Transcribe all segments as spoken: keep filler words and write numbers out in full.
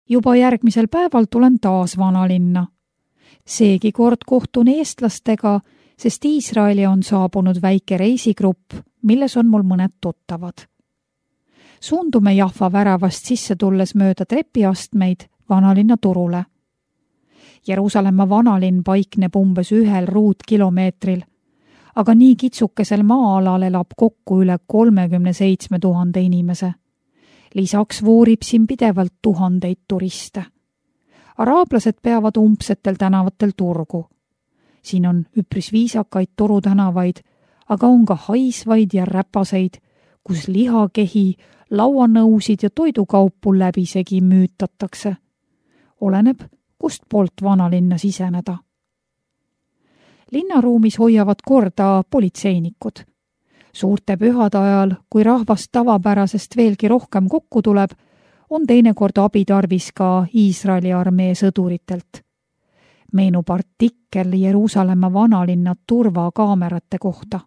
Juba järgmisel päeval tulen taas vanalinna. Seegi kord kohtun eestlastega, sest Iisraeli on saabunud väike reisigrupp, milles on mul mõned tuttavad. Suundume Jahva väravast sisse tulles mööda trepiastmeid vanalinna turule. Jeruusalemma vanalinn paikneb umbes ühel ruutkilomeetril, aga nii kitsukesel maa-alal elab kokku üle kolmekümne seitsme tuhande inimese. Lisaks voorib siin pidevalt tuhandeid turiste. Araablased peavad umbsetel tänavatel turgu. Siin on üpris viisakaid torutänavaid, aga on ka haisvaid ja räpaseid, kus lihakehi, lauanõusid ja toidukaupu läbisegi müütatakse. Oleneb, kust poolt vanalinna siseneda. Linnaruumis hoiavad korda politseinikud. Suurte pühade ajal, kui rahvast tavapärasest veelgi rohkem kokku tuleb, on teinekord abitarvis ka Iisraeli armee sõduritelt. Meenub artikkel Jeruusalemma vanalinna turvakaamerate kohta.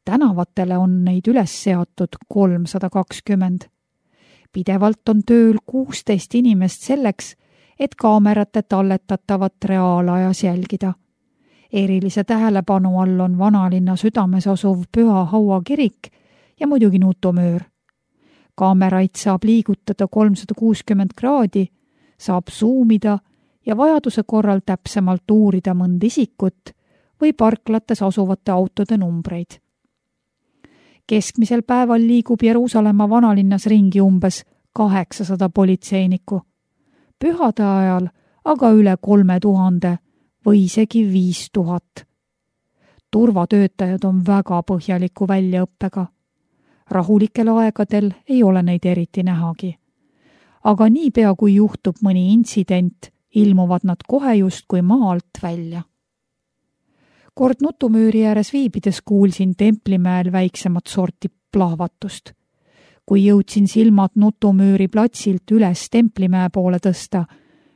Tänavatele on neid üles seatud kolmsada kakskümmend. Pidevalt on tööl kuusteist inimest selleks, et kaamerate talletatavat reaalajas jälgida. Erilise tähelepanu all on vanalinna südames asuv Püha Haua kirik ja muidugi nutumöör. Kaameraid saab liigutada kolmsada kuuskümmend kraadi, saab suumida ja vajaduse korral täpsemalt uurida mõnd isikut või parklates asuvate autode numbreid. Keskmisel päeval liigub Jeruusalemma vanalinnas ringi umbes kaheksasada politseinikku. Pühade ajal aga üle kolme tuhande või isegi viis tuhat. Turvatöötajad on väga põhjaliku väljaõppega. Rahulikel aegadel ei ole neid eriti nähagi. Aga niipea kui juhtub mõni intsident, ilmuvad nad kohe justkui maalt välja. Kord nutumüüri ääres viibides kuulsin Templimäel väiksemat sorti plahvatust. Kui jõudsin silmad nutumüüri platsilt üles Templimäe poole tõsta,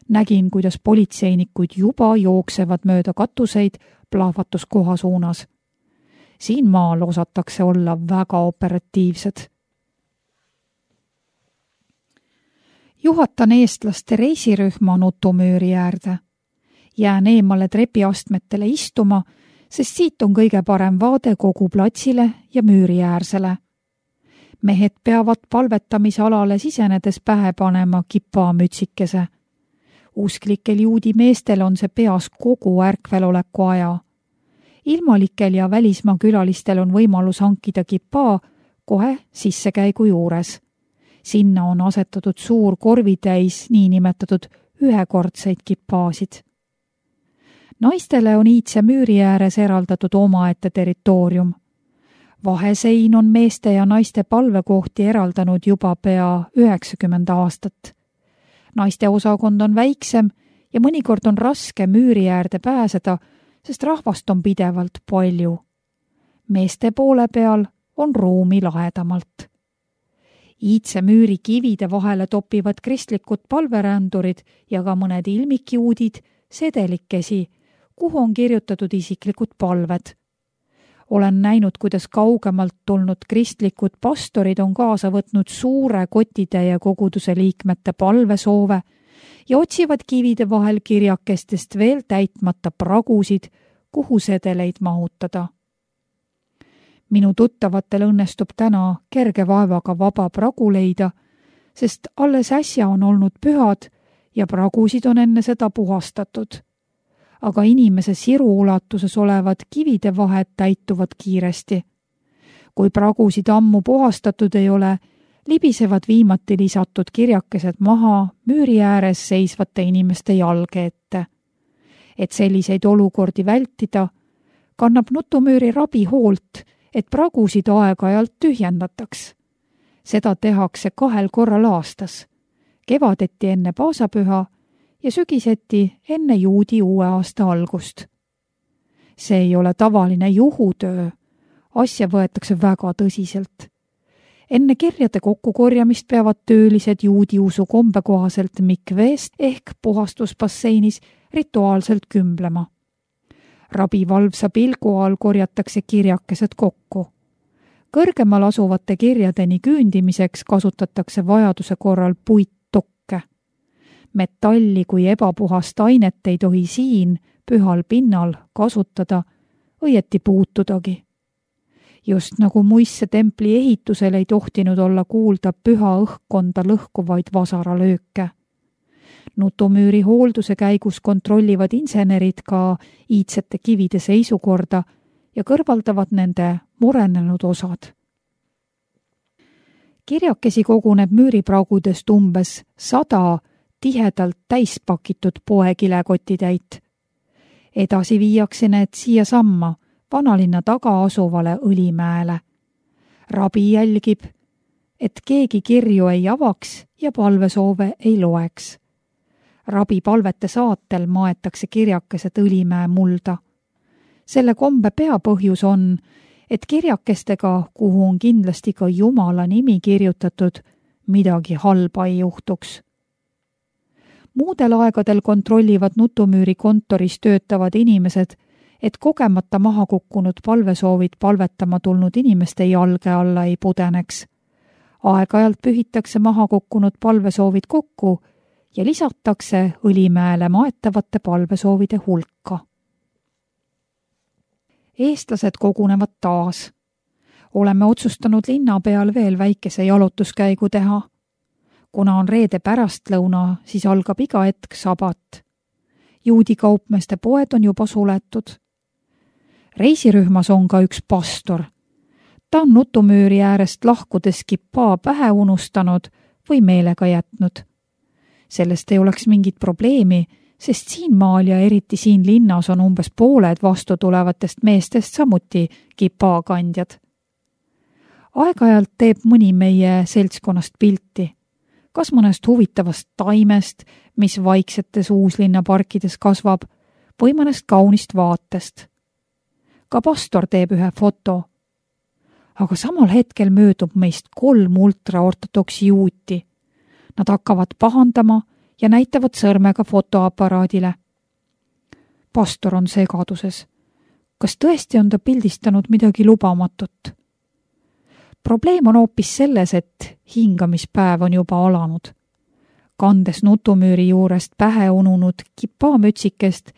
nägin, kuidas politseinikud juba jooksevad mööda katuseid plahvatuskoha suunas. Siin maal osatakse olla väga operatiivsed. Juhatan eestlaste reisirühma nutumüüri äärde. Jään eemale trepiastmetele istuma, sest siit on kõige parem vaade kogu platsile ja müüri äärsele. Mehed peavad palvetamisalale sisenedes pähe panema kipamütsikese. Usklikel juudi meestel on see peas kogu ärkveloleku aja. Ilmalikel ja välismaa külalistel on võimalus hankida kipaa kohe sissekäigu juures. Sinna on asetatud suur korvitäis niinimetatud ühekordseid kipaasid. Naistele on iidse müüri ääres eraldatud omaette territoorium. Vahesein on meeste ja naiste palvekohti eraldanud juba pea üheksakümmend aastat. Naiste osakond on väiksem ja mõnikord on raske müüri äärde pääseda, sest rahvast on pidevalt palju. Meeste poole peal on ruumi lahedamalt. Iidse müüri kivide vahele topivad kristlikud palverändurid ja ka mõned ilmikjuudid sedelikesi, kuhu on kirjutatud isiklikud palved. Olen näinud, kuidas kaugemalt tulnud kristlikud pastorid on kaasa võtnud suure kotitäie koguduse liikmete palvesoove ja otsivad kivide vahel kirjakestest veel täitmata pragusid, kuhu sedeleid mahutada. Minu tuttavatel õnnestub täna kerge vaevaga vaba pragu leida, sest alles äsja on olnud pühad ja pragusid on enne seda puhastatud. Aga inimese siru ulatuses olevad kivide vahed täituvad kiiresti. Kui pragusid ammu puhastatud ei ole, libisevad viimati lisatud kirjakesed maha müüri ääres seisvate inimeste jalge ette. Et selliseid olukordi vältida, kannab nutumüüri rabi hoolt, et pragusid aeg-ajalt tühjendataks. Seda tehakse kahel korral aastas, kevadeti enne paasapüha ja sügiseti enne juudi uue aasta algust. See ei ole tavaline juhutöö, asja võetakse väga tõsiselt. Enne kirjade kokkukorjamist peavad töölised juudi usu kombe kohaselt mikveest ehk puhastusbasseinis rituaalselt kümblema. Rabi valvsa pilgu all korjatakse kirjakesed kokku. Kõrgemal asuvate kirjadeni küündimiseks kasutatakse vajaduse korral puittokke. Metalli kui ebapuhast ainet ei tohi siin, pühal pinnal, kasutada, õieti puutudagi. Just nagu muisse templi ehitusel ei tohtinud olla kuulda püha õhkkonda lõhkuvaid vasaralööke. Nutumüüri hoolduse käigus kontrollivad insenerid ka iidsete kivide seisukorda ja kõrvaldavad nende murenenud osad. Kirjakesi koguneb müüripraagudest umbes sada tihedalt täispakitud poekilekotitäit. Edasi viiakse need siia samma vanalinna taga asuvale Õlimäele. Rabi jälgib, et keegi kirju ei avaks ja palvesoove ei loeks. Rabi palvete saatel maetakse kirjakesed Õlimäe mulda. Selle kombe peapõhjus on, et kirjakestega, kuhu on kindlasti ka Jumala nimi kirjutatud, midagi halba ei juhtuks. Muudel aegadel kontrollivad Nutumüüri kontoris töötavad inimesed, et kogemata maha kukkunud palvesoovid palvetama tulnud inimeste jalge alla ei pudeneks. Aeg-ajalt pühitakse maha kukkunud palvesoovid kokku ja lisatakse Õlimäele maetavate palvesoovide hulka. Eestlased kogunevad taas. Oleme otsustanud linna peal veel väikese jalutuskäigu teha. Kuna on reede pärastlõuna, siis algab iga hetk sabat. Juudi kaupmeeste poed on juba suletud. Reisirühmas on ka üks pastor. Ta on Nutumüüri äärest lahkudes kipaa pähe unustanud või meelega jätnud. Sellest ei oleks mingit probleemi, sest siin maal ja eriti siin linnas on umbes pooled vastu tulevatest meestest samuti kipaakandjad. Aeg-ajalt teeb mõni meie seltskonnast pilti, kas mõnest huvitavast taimest, mis vaiksetes uuslinna parkides kasvab, või mõnest kaunist vaatest. Ka pastor teeb ühe foto. Aga samal hetkel möödub meist kolm ultraortodoksi juuti. Nad hakkavad pahandama ja näitavad sõrmega fotoaparaadile. Pastor on segaduses. Kas tõesti on ta pildistanud midagi lubamatut? Probleem on hoopis selles, et hingamispäev on juba alanud. Kandes Nutumüüri juurest pähe ununud kipaamütsikest,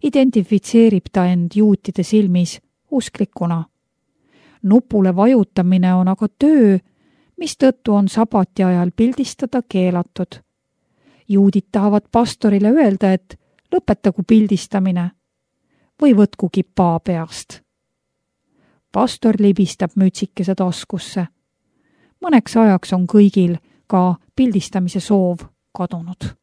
identifitseerib ta end juutide silmis usklikuna. Nupule vajutamine on aga töö, mis tõttu on sabati ajal pildistada keelatud. Juudid tahavad pastorile öelda, et lõpetagu pildistamine või võtku kipaa peast. Pastor libistab mütsikese taskusse. Mõneks ajaks on kõigil ka pildistamise soov kadunud.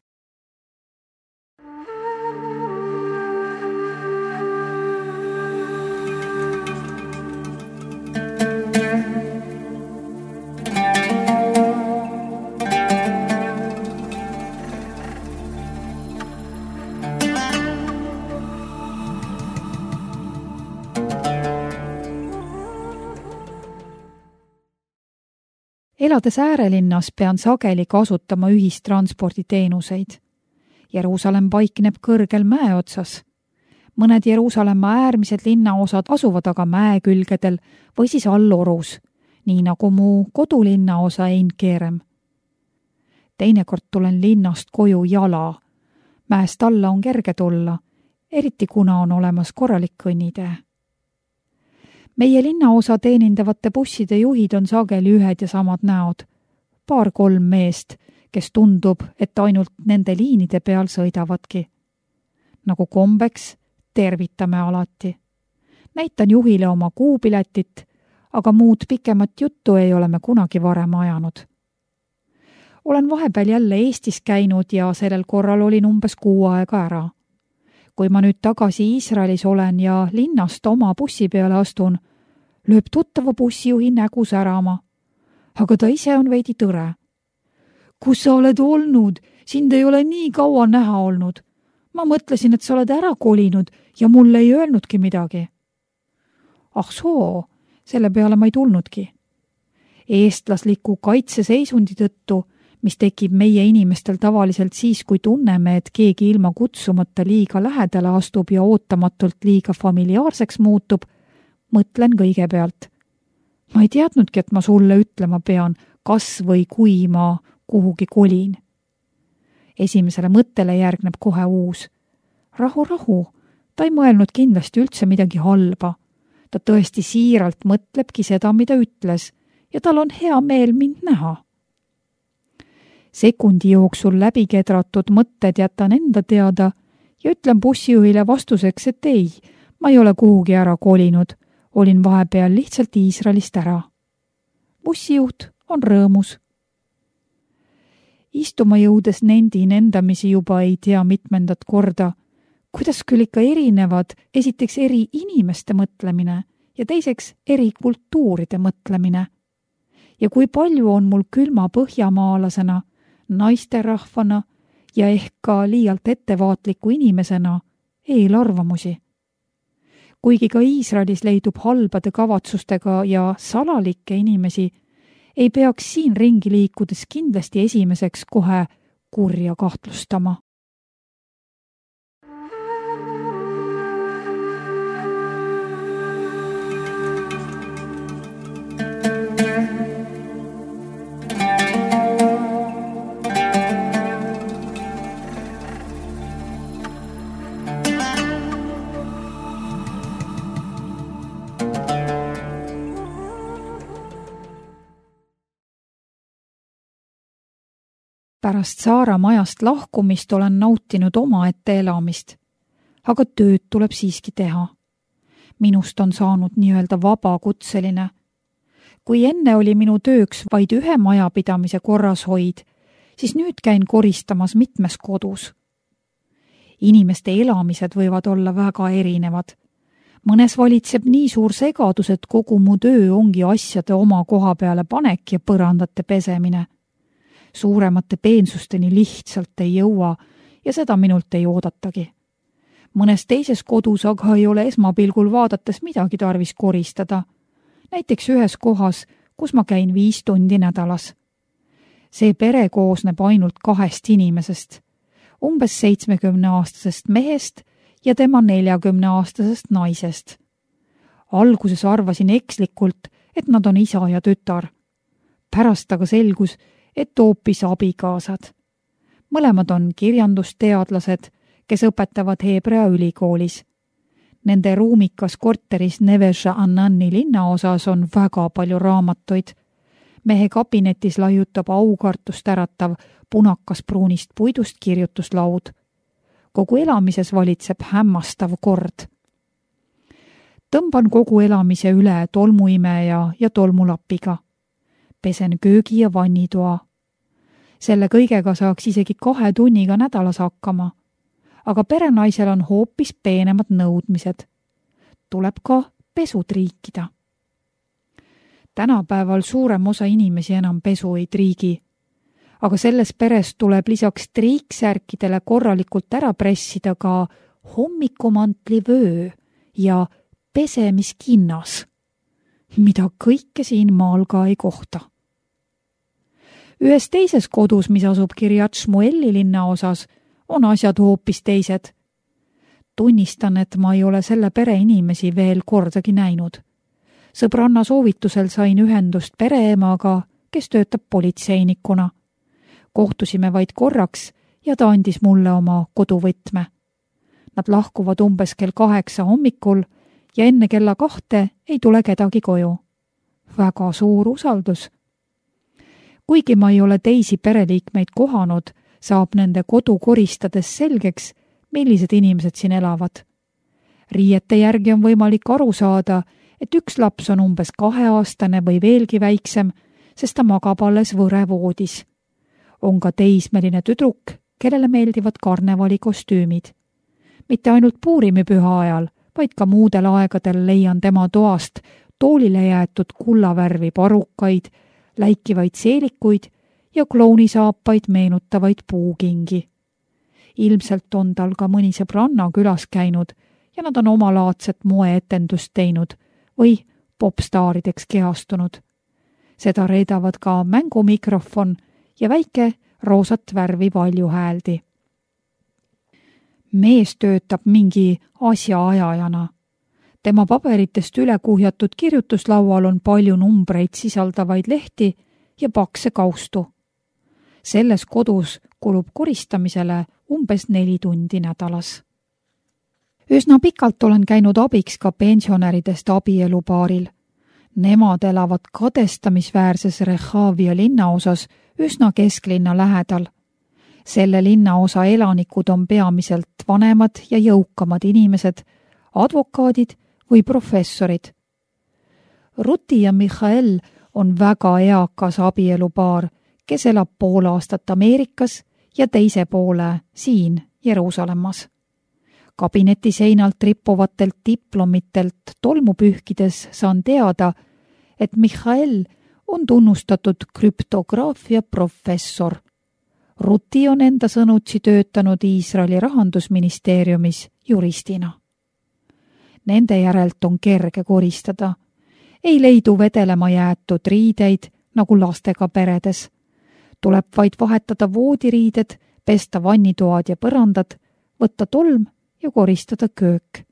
Elades äärelinnas pean sageli kasutama ühistransporditeenuseid. Jeruusalemm paikneb kõrgel mäe otsas. Mõned Jeruusalemma äärmised linnaosad asuvad aga mäe külgedel või siis allorus, nii nagu mu kodulinnaosa Einkerem. Teinekord tulen linnast koju jala. Mäest alla on kerge tulla, eriti kuna on olemas korralik kõnnitee. Meie linnaosa teenindavate busside juhid on sageli ühed ja samad näod. Paar-kolm meest, kes tundub, et ainult nende liinide peal sõidavadki. Nagu kombeks, tervitame alati. Näitan juhile oma kuupiletit, aga muud pikemat juttu ei ole me kunagi varem ajanud. Olen vahepeal jälle Eestis käinud ja sellel korral olin umbes kuu aega ära. Kui ma nüüd tagasi Iisraelis olen ja linnast oma bussi peale astun, lööb tuttava bussijuhi nägu särama. Aga ta ise on veidi tõre. Kus sa oled olnud? Sind ei ole nii kaua näha olnud. Ma mõtlesin, et sa oled ära kolinud ja mulle ei öelnudki midagi. Ah soo, selle peale ma ei tulnudki. Eestlasliku kaitseseisundi tõttu, mis tekib meie inimestel tavaliselt siis, kui tunneme, et keegi ilma kutsumata liiga lähedale astub ja ootamatult liiga familiaarseks muutub, mõtlen kõigepealt. Ma ei teadnudki, et ma sulle ütlema pean, kas või kui ma kuhugi kolin. Esimesele mõttele järgneb kohe uus. Rahu, rahu, ta ei mõelnud kindlasti üldse midagi halba. Ta tõesti siiralt mõtlebki seda, mida ütles ja tal on hea meel mind näha. Sekundi jooksul läbi kedratud mõtted jätan enda teada ja ütlen bussijuhile vastuseks, et ei, ma ei ole kuhugi ära kolinud, olin vahepeal lihtsalt Iisraelist ära. Bussijuht on rõõmus. Istuma jõudes nendin endamisi juba ei tea mitmendat korda, kuidas küll ikka erinevad esiteks eri inimeste mõtlemine ja teiseks eri kultuuride mõtlemine. Ja kui palju on mul külma põhjamaalasena, naisterahvana ja ehk ka liialt ettevaatliku inimesena eelarvamusi. Kuigi ka Iisraelis leidub halbade kavatsustega ja salalikke inimesi, ei peaks siin ringi liikudes kindlasti esimeseks kohe kurja kahtlustama. Pärast Saara majast lahkumist olen nautinud omaette elamist, aga tööd tuleb siiski teha. Minust on saanud nii-öelda vabakutseline. Kui enne oli minu tööks vaid ühe majapidamise korrashoid, siis nüüd käin koristamas mitmes kodus. Inimeste elamised võivad olla väga erinevad. Mõnes valitseb nii suur segadus, et kogu mu töö ongi asjade oma koha peale panek ja põrandate pesemine. Suuremate peensusteni lihtsalt ei jõua ja seda minult ei oodatagi. Mõnes teises kodus aga ei ole esmapilgul vaadates midagi tarvis koristada. Näiteks ühes kohas, kus ma käin viis tundi nädalas. See pere koosneb ainult kahest inimesest, umbes seitsmekümneaastasest mehest ja tema neljakümneaastasest naisest. Alguses arvasin ekslikult, et nad on isa ja tütar. Pärast aga selgus, et hoopis abikaasad. Mõlemad on kirjandusteadlased, kes õpetavad Heebrea ülikoolis. Nende ruumikas korteris Nevesha Annani linnaosas on väga palju raamatuid. Mehe kabinetis laiutab aukartust äratav punakas pruunist puidust kirjutuslaud. Kogu elamises valitseb hämmastav kord. Tõmban kogu elamise üle tolmuimeja ja tolmulapiga. Pesen köögi ja vannitoa. Selle kõigega saaks isegi kahe tunniga nädalas hakkama, aga perenaisel on hoopis peenemad nõudmised. Tuleb ka pesu triikida. Tänapäeval suurem osa inimesi enam pesu ei triigi, aga selles peres tuleb lisaks triiksärkidele korralikult ära pressida ka hommikumantli vöö ja pesemiskinnas, mida kõike siin maal ka ei kohta. Ühes teises kodus, mis asub Kiryat Shmueli linnaosas, on asjad hoopis teised. Tunnistan, et ma ei ole selle pere inimesi veel kordagi näinud. Sõbranna soovitusel sain ühendust pereemaga, kes töötab politseinikuna. Kohtusime vaid korraks ja ta andis mulle oma koduvõtme. Nad lahkuvad umbes kell kaheksa hommikul ja enne kella kahte ei tule kedagi koju. Väga suur usaldus. Kuigi ma ei ole teisi pereliikmeid kohanud, saab nende kodu koristades selgeks, millised inimesed siin elavad. Riiete järgi on võimalik aru saada, et üks laps on umbes kaheaastane või veelgi väiksem, sest ta magab alles võrevoodis. On ka teismeline tüdruk, kellele meeldivad karnevalikostüümid. Mitte ainult Puurimipüha ajal, vaid ka muudel aegadel leian tema toast toolile jäetud kullavärvi parukaid, läikivaid seelikuid ja klounisaapaid meenutavaid puukingi. Ilmselt on tal ka mõni sõbranna külas käinud ja nad on omalaadset moeetendust teinud või popstaarideks kehastunud. Seda reedavad ka mängumikrofon ja väike roosat värvi valjuhääldi. Mees töötab mingi asjaajajana. Tema paberitest üle kuhjatud kirjutuslaual on palju numbreid sisaldavaid lehti ja pakse kaustu. Selles kodus, kulub koristamisele umbes neli tundi nädalas. Üsna pikalt olen käinud abiks ka pensionäridest abielupaaril. Nemad elavad kadestamisväärses Rehavia linnaosas üsna kesklinna lähedal. Selle linnaosa elanikud on peamiselt vanemad ja jõukamad inimesed, advokaadid või professorid. Ruti ja Michael on väga eakas abielupaar, kes elab pool aastat Ameerikas ja teise poole siin Jeruusalemmas. Kabineti seinalt rippuvatelt diplomitelt tolmu pühkides saan teada, et Michael on tunnustatud krüptograafia professor. Ruti on enda sõnutsi töötanud Iisraeli rahandusministeeriumis juristina. Nende järelt on kerge koristada. Ei leidu vedelema jäetud riideid nagu lastega peredes. Tuleb vaid vahetada voodiriided, pesta vannitoad ja põrandad, võtta tolm ja koristada köök.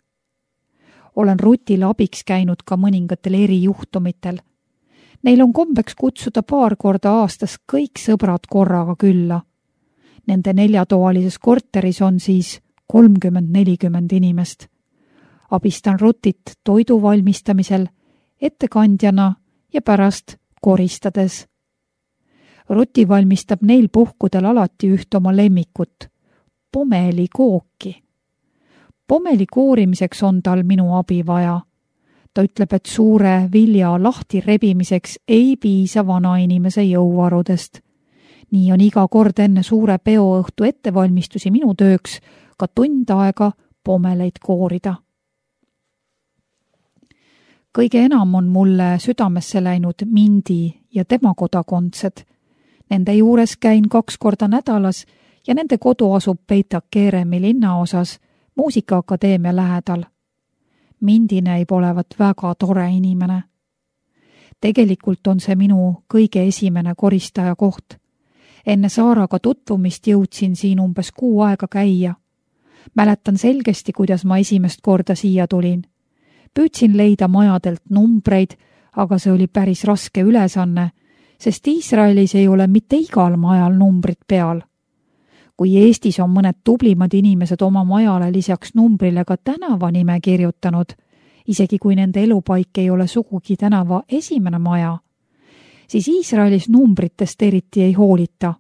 Olen Rutil abiks käinud ka mõningatel erijuhtumitel. Neil on kombeks kutsuda paar korda aastas kõik sõbrad korraga külla. Nende neljatoalises korteris on siis kolmkümmend nelikümmend inimest. Abistan Rutit toidu valmistamisel, ettekandjana ja pärast koristades. Ruti valmistab neil puhkudel alati üht oma lemmikut, pomelikooki. Pomeli koorimiseks on tal minu abi vaja. Ta ütleb, et suure vilja lahti rebimiseks ei piisa vanainimese jõuvarudest. Nii on iga kord enne suure peoõhtu ettevalmistusi minu tööks ka tund aega pomeleid koorida. Kõige enam on mulle südamesse läinud Mindi ja tema kodakondsed. Nende juures käin kaks korda nädalas ja nende kodu asub Beit Keremi linnaosas Muusikaakadeemia lähedal. Mindi näib olevat väga tore inimene. Tegelikult on see minu kõige esimene koristaja koht. Enne Saaraga tutvumist jõudsin siin umbes kuu aega käia. Mäletan selgesti, kuidas ma esimest korda siia tulin. Püüdsin leida majadelt numbreid, aga see oli päris raske ülesanne, sest Iisraelis ei ole mitte igal majal numbrid peal. Kui Eestis on mõned tublimad inimesed oma majale lisaks numbrile ka tänava nime kirjutanud, isegi kui nende elupaik ei ole sugugi tänava esimene maja, siis Iisraelis numbritest eriti ei hoolita,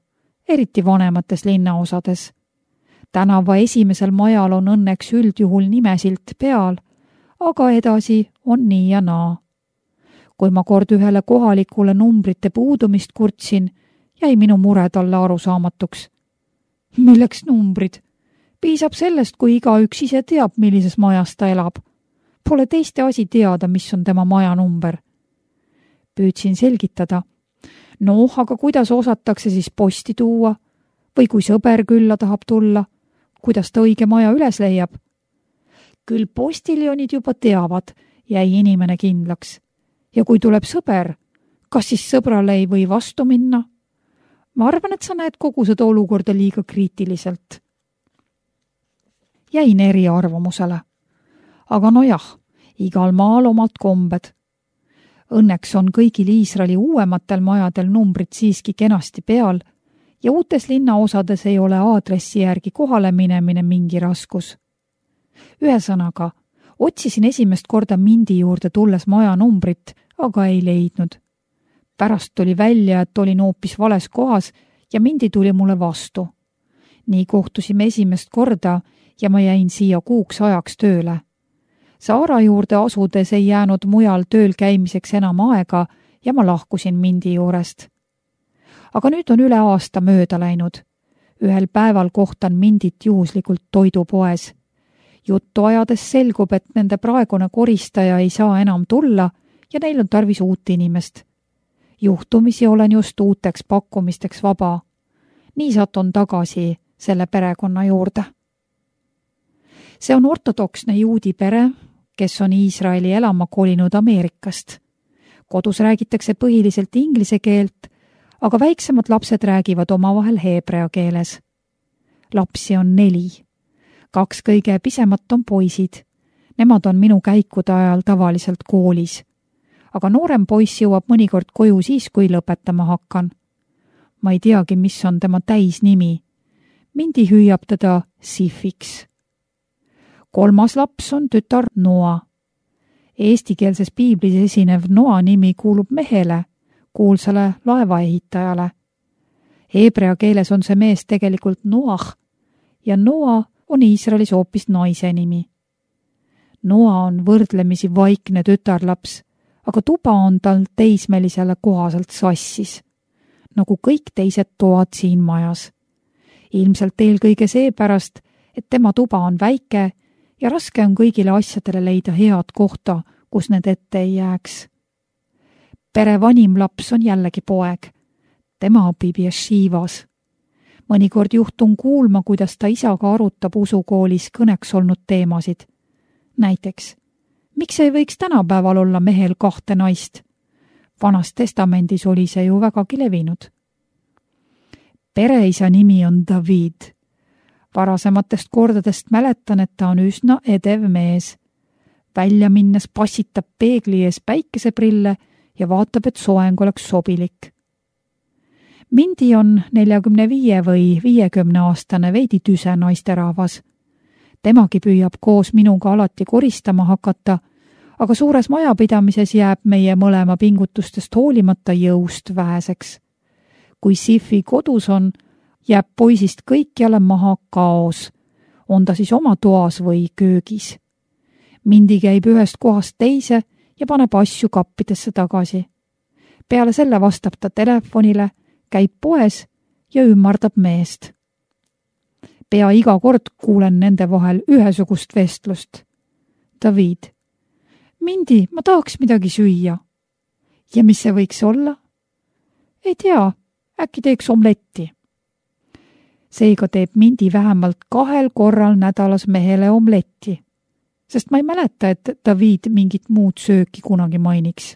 eriti vanemates linnaosades. Tänava esimesel majal on õnneks üldjuhul nimesilt peal, aga edasi on nii ja naa. Kui ma kord ühele kohalikule numbrite puudumist kurtsin, jäi minu mure talle arusaamatuks. Milleks numbrid? Piisab sellest, kui igaüks ise teab, millises majas ta elab. Pole teiste asi teada, mis on tema maja number. Püüdsin selgitada. Noh, aga kuidas osatakse siis posti tuua? Või kui sõber külla tahab tulla? Kuidas ta õige maja üles leiab? Küll postiljonid juba teavad, jäi inimene kindlaks. Ja kui tuleb sõber, kas siis sõbrale ei või vastu minna? Ma arvan, et sa näed kogu seda olukorda liiga kriitiliselt. Jäin eriarvamusele. Aga nojah, igal maal omad kombed. Õnneks on kõigil Iisraeli uuematel majadel numbrid siiski kenasti peal ja uutes linnaosades ei ole aadressi järgi kohale minemine mingi raskus. Ühesõnaga, otsisin esimest korda Mindi juurde tulles maja numbrit, aga ei leidnud. Pärast tuli välja, et olin hoopis vales kohas ja Mindi tuli mulle vastu. Nii kohtusime esimest korda ja ma jäin siia kuuks ajaks tööle. Saara juurde asudes ei jäänud mujal tööl käimiseks enam aega ja ma lahkusin Mindi juurest. Aga nüüd on üle aasta mööda läinud. Ühel päeval kohtan Mindit juhuslikult toidupoes. Juttu ajades selgub, et nende praegune koristaja ei saa enam tulla ja neil on tarvis uut inimest. Juhtumisi olen just uuteks pakkumisteks vaba. Nii satun tagasi selle perekonna juurde. See on ortodoksne juudi pere, kes on Iisraeli elama kolinud Ameerikast. Kodus räägitakse põhiliselt inglise keelt, aga väiksemad lapsed räägivad omavahel heebrea keeles. Lapsi on neli. Kaks kõige pisemat on poisid. Nemad on minu käikude ajal tavaliselt koolis. Aga noorem poiss jõuab mõnikord koju siis, kui lõpetama hakkan. Ma ei teagi, mis on tema täisnimi. Mindi hüüab teda Siffiks. Kolmas laps on tütar Noa. Eestikeelses piiblis esinev Noa nimi kuulub mehele, kuulsale laevaehitajale. Heebrea keeles on see mees tegelikult Noah ja Noa on Iisraelis hoopis naise nimi. Noa on võrdlemisi vaikne tütarlaps, aga tuba on tal teismelisele kohaselt sassis, nagu kõik teised toad siin majas. Ilmselt eelkõige seepärast, et tema tuba on väike ja raske on kõigile asjadele leida head kohta, kus need ette ei jääks. Pere vanim laps on jällegi poeg. Tema õpib Yeshivas. Mõnikord juhtun kuulma, kuidas ta isaga arutab usukoolis kõneks olnud teemasid. Näiteks, miks ei võiks tänapäeval olla mehel kahte naist? Vanas testamendis oli see ju vägagi levinud. Pereisa nimi on David. Varasematest kordadest mäletan, et ta on üsna edev mees. Välja minnes passitab peegli ees päikeseprille ja vaatab, et soeng oleks sobilik. Mindi on neljakümne viie või viiekümne aastane veidi tüse naisterahvas. Temagi püüab koos minuga alati koristama hakata, aga suures majapidamises jääb meie mõlema pingutustest hoolimata jõust väheseks. Kui Siffi kodus on, jääb poisist kõikjale maha kaos, on ta siis oma toas või köögis. Mindi käib ühest kohast teise ja paneb asju kappidesse tagasi. Peale selle vastab ta telefonile, käib poes ja ümmardab meest. Pea iga kord kuulen nende vahel ühesugust vestlust. David: Mindi, ma tahaks midagi süüa. Ja mis see võiks olla? Ei tea, äkki teeks omletti. Seega teeb Mindi vähemalt kahel korral nädalas mehele omletti, sest ma ei mäleta, et David mingit muud sööki kunagi mainiks.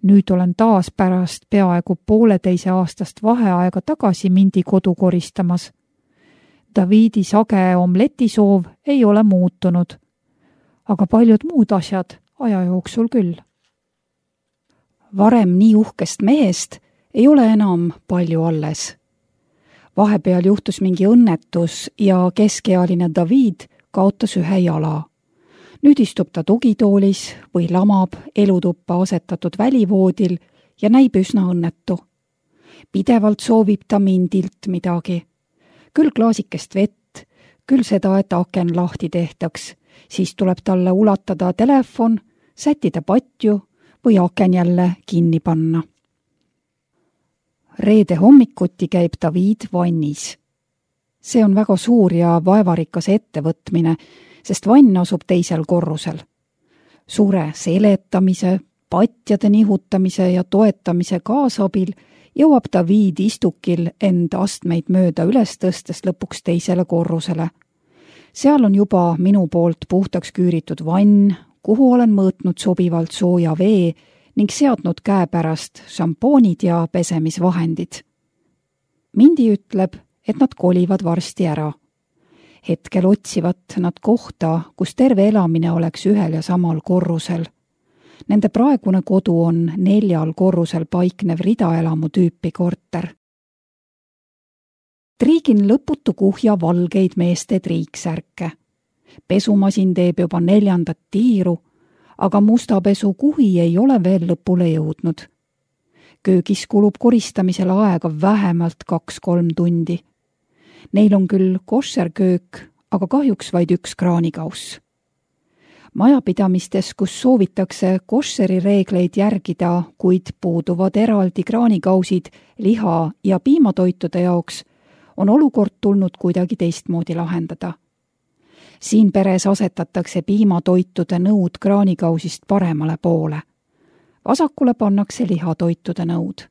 Nüüd olen taas pärast peaaegu pooleteise aastast vaheaega tagasi Mindi kodu koristamas. Davidi sage omletisoov ei ole muutunud, aga paljud muud asjad aja jooksul küll. Varem nii uhkest mehest ei ole enam palju alles. Vahepeal juhtus mingi õnnetus ja keskealine David kaotas ühe jala. Nüüd istub ta tugitoolis või lamab elutuppa asetatud välivoodil ja näib üsna õnnetu. Pidevalt soovib ta Mindilt midagi. Küll klaasikest vett, küll seda, et aken lahti tehtaks, siis tuleb talle ulatada telefon, sättida patju või aken jälle kinni panna. Reede hommikuti käib David vannis. See on väga suur ja vaevarikas ettevõtmine, sest vann asub teisel korrusel. Suure seletamise, patjade nihutamise ja toetamise kaasabil jõuab David istukil end astmeid mööda üles tõstes lõpuks teisele korrusele. Seal on juba minu poolt puhtaks küüritud vann, kuhu olen mõõtnud sobivalt sooja vee ning seadnud käepärast šampoonid ja pesemisvahendid. Mindi ütleb, et nad kolivad varsti ära. Hetkel otsivad nad kohta, kus terve elamine oleks ühel ja samal korrusel. Nende praegune kodu on neljal korrusel paiknev ridaelamu tüüpi korter. Triigin lõputu kuhja valgeid meeste triiksärke. Pesumasin teeb juba neljandat tiiru, aga musta pesu kuhi ei ole veel lõpule jõudnud. Köögis kulub koristamisele aega vähemalt kaks-kolm tundi. Neil on küll koššerköök, aga kahjuks vaid üks kraanikauss. Majapidamistes, kus soovitakse koššeri reegleid järgida, kuid puuduvad eraldi kraanikausid liha- ja piimatoitude jaoks, on olukord tulnud kuidagi teistmoodi lahendada. Siin peres asetatakse piimatoitude nõud kraanikausist paremale poole. Vasakule pannakse lihatoitude nõud.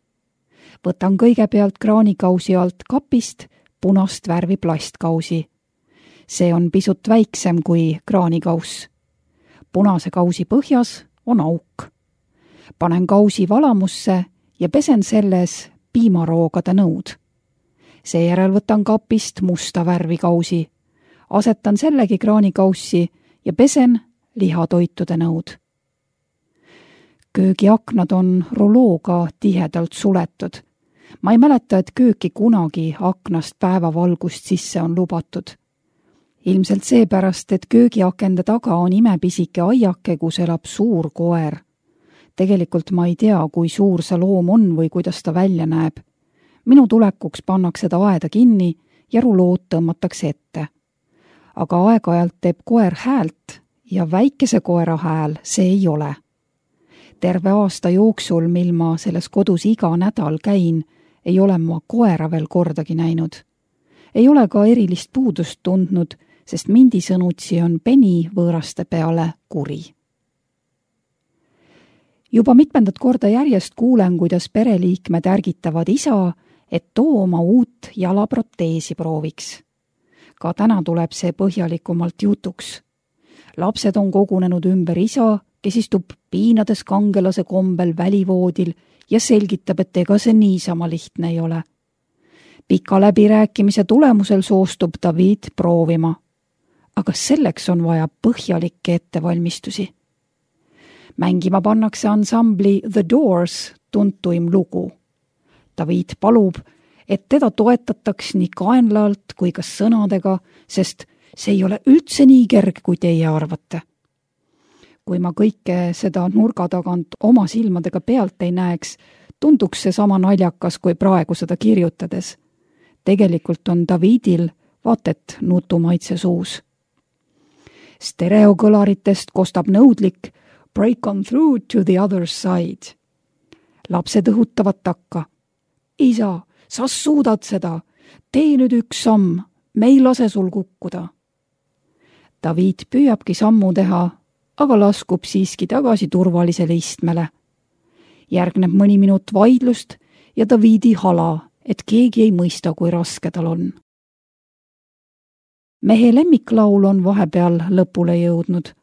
Võtan kõigepealt kraanikausi alt kapist punast värvi plastkausi. See on pisut väiksem kui kraanikauss. Punase kausi põhjas on auk. Panen kausi valamusse ja pesen selles piimaroogade nõud. Seejärel võtan kapist musta värvi kausi. Asetan sellegi kraanikaussi ja pesen lihatoitude nõud. Köögiaknad on rulooga tihedalt suletud. Ma ei mäleta, et kööki kunagi aknast päevavalgust sisse on lubatud. Ilmselt seepärast, et köögiakende taga on imepisike aiake, kus elab suur koer. Tegelikult ma ei tea, kui suur see loom on või kuidas ta välja näeb. Minu tulekuks pannakse ta aeda kinni ja rulood tõmmatakse ette. Aga aeg-ajalt teeb koer häält ja väikese koera hääl see ei ole. Terve aasta jooksul, mil ma selles kodus iga nädal käin, ei ole ma koera veel kordagi näinud. Ei ole ka erilist puudust tundnud, sest mindi sõnutsi on Penny võõraste peale kuri. Juba mitmendat korda järjest kuulen, kuidas pereliikmed ärgitavad isa, et too oma uut jalaproteesi prooviks. Ka täna tuleb see põhjalikumalt jutuks. Lapsed on kogunenud ümber isa, kes istub piinades kangelase kombel välivoodil ja selgitab, et ega see niisama lihtne ei ole. Pika läbirääkimise tulemusel soostub David proovima. Aga selleks on vaja põhjalikke ettevalmistusi. Mängima pannakse ansambli The Doors tuntuim lugu. David palub, et teda toetataks nii kaenlaalt kui ka sõnadega, sest see ei ole üldse nii kerge, kui teie arvate. Kui ma kõike seda nurga tagant oma silmadega pealt ei näeks, tunduks see sama naljakas kui praegu seda kirjutades. Tegelikult on Davidil vaatet nutumaitse suus. Stereokõlaritest kostab nõudlik Break on through to the other side. Lapsed õhutavad takka. Isa, sa suudad seda. Tee nüüd üks samm. Me ei lase sul kukkuda. David püüabki sammu teha, aga laskub siiski tagasi turvalisele istmele. Järgneb mõni minut vaidlust ja Davidi hala, et keegi ei mõista, kui raske tal on. Mehe lemmiklaul on vahepeal lõpule jõudnud.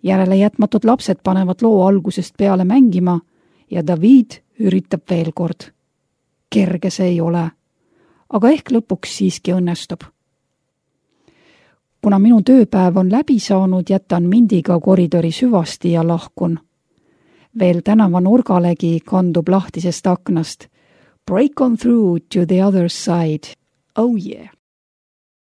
Järele jätmatud lapsed panevad loo algusest peale mängima ja David üritab veel kord. Kerge see ei ole, aga ehk lõpuks siiski õnnestub. Kuna minu tööpäev on läbi saanud, jätan Mindiga koridori süvasti ja lahkun. Veel tänava nurgalegi kandub lahtisest aknast. Break on through to the other side. Oh yeah!